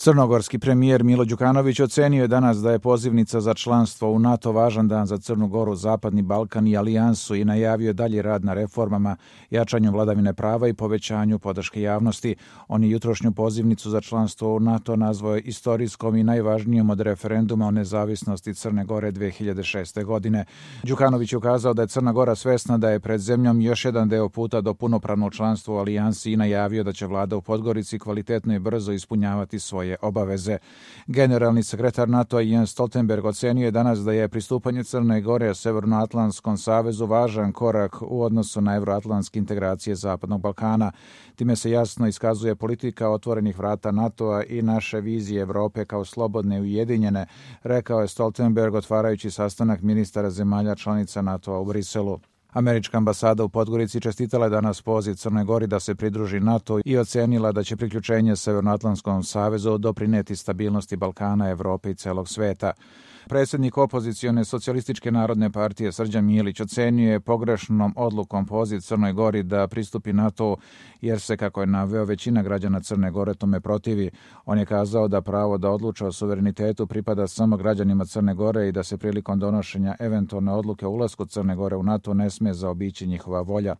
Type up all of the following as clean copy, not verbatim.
Crnogorski premijer Milo Đukanović ocenio je danas da je pozivnica za članstvo u NATO važan dan za Crnu Goru, Zapadni Balkan i alijansu i najavio dalji rad na reformama, jačanju vladavine prava i povećanju podrške javnosti. On je jutrošnju pozivnicu za članstvo u NATO nazvao istorijskom i najvažnijom od referenduma o nezavisnosti Crne Gore 2006. godine. Đukanović je ukazao da je Crna Gora svesna da je pred zemljom još jedan deo puta do punopravnog članstva u alijansi i najavio da će vlada u Podgorici kvalitetno i brzo ispunjavati svoje obaveze. Generalni sekretar NATO Jens Stoltenberg ocenio je danas da je pristupanje Crne Gore Severnoatlantskom savezu važan korak u odnosu na evroatlantske integracije Zapadnog Balkana. Time se jasno iskazuje politika otvorenih vrata NATO-a i naše vizije Evrope kao slobodne i ujedinjene, rekao je Stoltenberg otvarajući sastanak ministara zemalja članica NATO-a u Briselu. Američka ambasada u Podgorici čestitala je danas poziv Crnoj Gori da se pridruži NATO i ocenila da će priključenje Severnoatlantskom savezu doprineti stabilnosti Balkana, Evrope i celog sveta. Predsjednik opozicione Socijalističke narodne partije Srđan Milić ocenio je pogrešnom odlukom poziv Crnoj Gori da pristupi NATO jer se, kako je naveo, većina građana Crne Gore tome protivi. On je kazao da pravo da odluča o suverenitetu pripada samo građanima Crne Gore i da se prilikom donošenja eventualne odluke o ulasku Crne Gore u NATO ne smije zaobići njihova volja.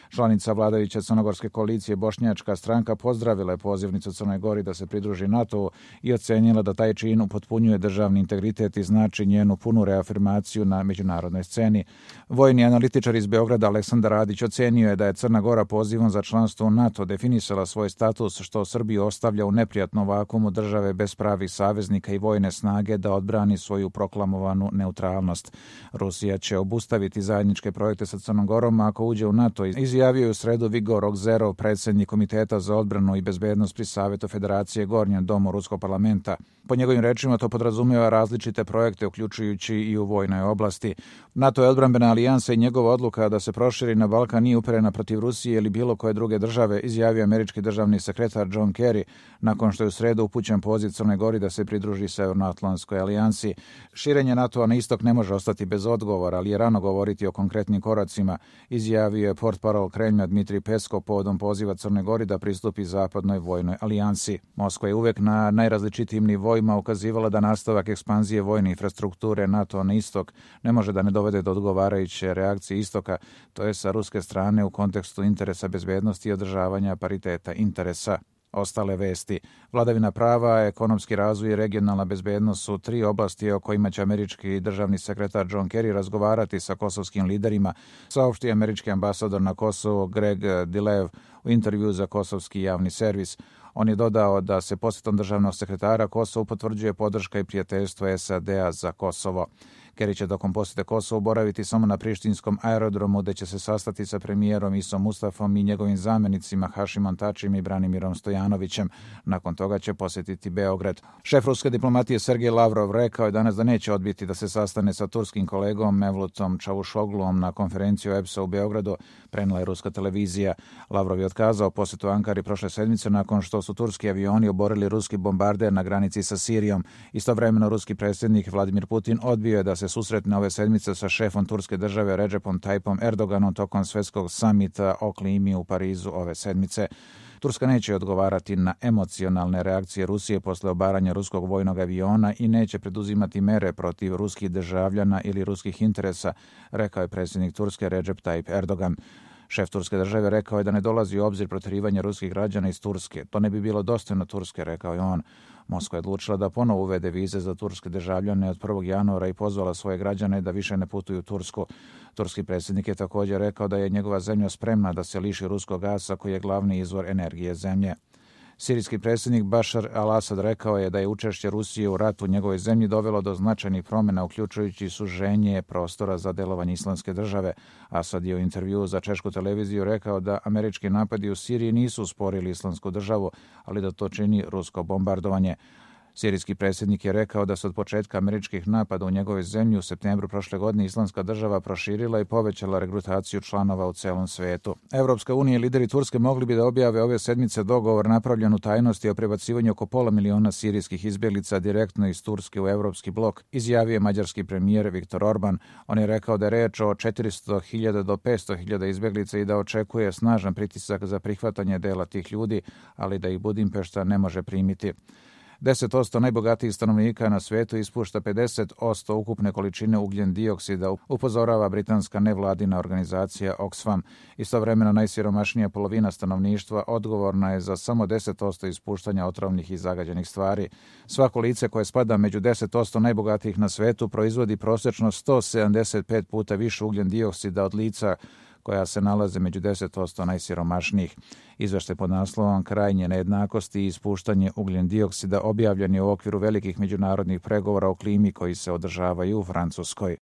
Članica vladajuće crnogorske koalicije Bošnjačka stranka pozdravila je pozivnicu Crnoj Gori da se pridruži NATO i ocenila da taj čin upotpunjuje državni integritet i znači njenu punu reafirmaciju na međunarodnoj sceni. Vojni analitičar iz Beograda Aleksandar Radić ocenio je da je Crna Gora pozivom za članstvo u NATO definisala svoj status, što Srbiju ostavlja u neprijatnom vakuumu države bez pravih saveznika i vojne snage da odbrani svoju proklamovanu neutralnost. Rusija će obustaviti zajedničke projekte sa Crnom Gorom ako uđe u NATO, izjavio je u sredu Vigor Okzerov, predsjednik Komiteta za odbranu i bezbednost pri Savetu Federacije Gornjem domu Ruskog parlamenta. Po njegovim rečima to podrazumijeva različite projekte, uključujući i u vojnoj oblasti. NATO je odbrambena alijansa i njegova odluka da se proširi na Balkan nije uperena protiv Rusije ili bilo koje druge države, izjavio američki državni sekretar John Kerry, nakon što je u sredu upućen poziv Crnoj Gori da se pridruži Severnoatlantskoj alijansi. Širenje NATO-a na istok ne može ostati bez odgovora, ali je rano govoriti o konkretnim koracima, izjavio je portparol Kremlja Dmitrij Peskov povodom poziva Crne Gori da pristupi Zapadnoj vojnoj alijansi. Moskva je uvek na najrazličitijim nivoima ukazivala da nastavak ekspanzije vojne infrastrukture NATO na istok ne može da ne dovede do odgovarajuće reakcije istoka, to je sa ruske strane u kontekstu interesa bezbednosti i održavanja pariteta interesa. Ostale vesti. Vladavina prava, ekonomski razvoj i regionalna bezbednost su tri oblasti o kojima će američki državni sekretar John Kerry razgovarati sa kosovskim liderima, saopštio američki ambasador na Kosovo Greg Dilev u intervju za kosovski javni servis. On je dodao da se posjetom državnog sekretara Kosovu potvrđuje podrška i prijateljstvo SAD-a za Kosovo. Kerry će tokom posjete Kosovu boraviti samo na prištinskom aerodromu, gde će se sastati sa premijerom Isom Mustafom i njegovim zamjenicima Hašimom Tačijem i Branimirom Stojanovićem. Nakon toga će posjetiti Beograd. Šef ruske diplomatije Sergej Lavrov rekao je danas da neće odbiti da se sastane sa turskim kolegom Mevlutom Čavuşoglom na konferenciju EPS-a u Beogradu, prenela je ruska televizija. Lavrov je otkazao posjetu Ankari prošle sedmice nakon što su turski avioni oborili ruski bombarder na granici sa Sirijom. Istovremeno ruski predsjednik Vladimir Putin odbio je da se susretne ove sedmice sa šefom turske države Recepom Tayyipom Erdoganom tokom svjetskog samita o klimi u Parizu ove sedmice. Turska neće odgovarati na emocionalne reakcije Rusije posle obaranja ruskog vojnog aviona i neće preduzimati mere protiv ruskih državljana ili ruskih interesa, rekao je predsjednik Turske Recep Tayyip Erdogan. Šef turske države rekao je da ne dolazi u obzir protjerivanje ruskih građana iz Turske. To ne bi bilo dostojno Turske, rekao je on. Moskva je odlučila da ponovo uvede vize za turske državljane od 1. januara i pozvala svoje građane da više ne putuju u Tursku. Turski predsjednik je također rekao da je njegova zemlja spremna da se liši ruskog gasa koji je glavni izvor energije zemlje. Sirijski predsjednik Bašar al-Asad rekao je da je učešće Rusije u ratu u njegovoj zemlji dovelo do značajnih promjena, uključujući suženje prostora za delovanje islamske države. Asad je u intervjuu za češku televiziju rekao da američki napadi u Siriji nisu usporili islamsku državu, ali da to čini rusko bombardovanje. Sirijski predsjednik je rekao da se od početka američkih napada u njegovoj zemlji u septembru prošle godine islamska država proširila i povećala regrutaciju članova u celom svetu. Evropska unija i lideri Turske mogli bi da objave ove sedmice dogovor napravljen u tajnosti o prebacivanju oko 500.000 sirijskih izbjeglica direktno iz Turske u evropski blok, izjavio je mađarski premijer Viktor Orban. On je rekao da je reč o 400.000 do 500.000 izbjeglica i da očekuje snažan pritisak za prihvatanje dela tih ljudi, ali da ih Budimpešta ne može primiti. 10% najbogatijih stanovnika na svijetu ispušta 50% ukupne količine ugljen dioksida, upozorava britanska nevladina organizacija Oxfam. Istovremeno najsiromašnija polovina stanovništva odgovorna je za samo 10% ispuštanja otrovnih i zagađenih stvari. Svako lice koje spada među 10% najbogatijih na svijetu proizvodi prosječno 175 puta više ugljen dioksida od lica koja se nalaze među 10% najsiromašnijih. Izveštaj pod naslovom Krajnje nejednakosti i ispuštanje ugljen dioksida objavljen je u okviru velikih međunarodnih pregovora o klimi koji se održavaju u Francuskoj.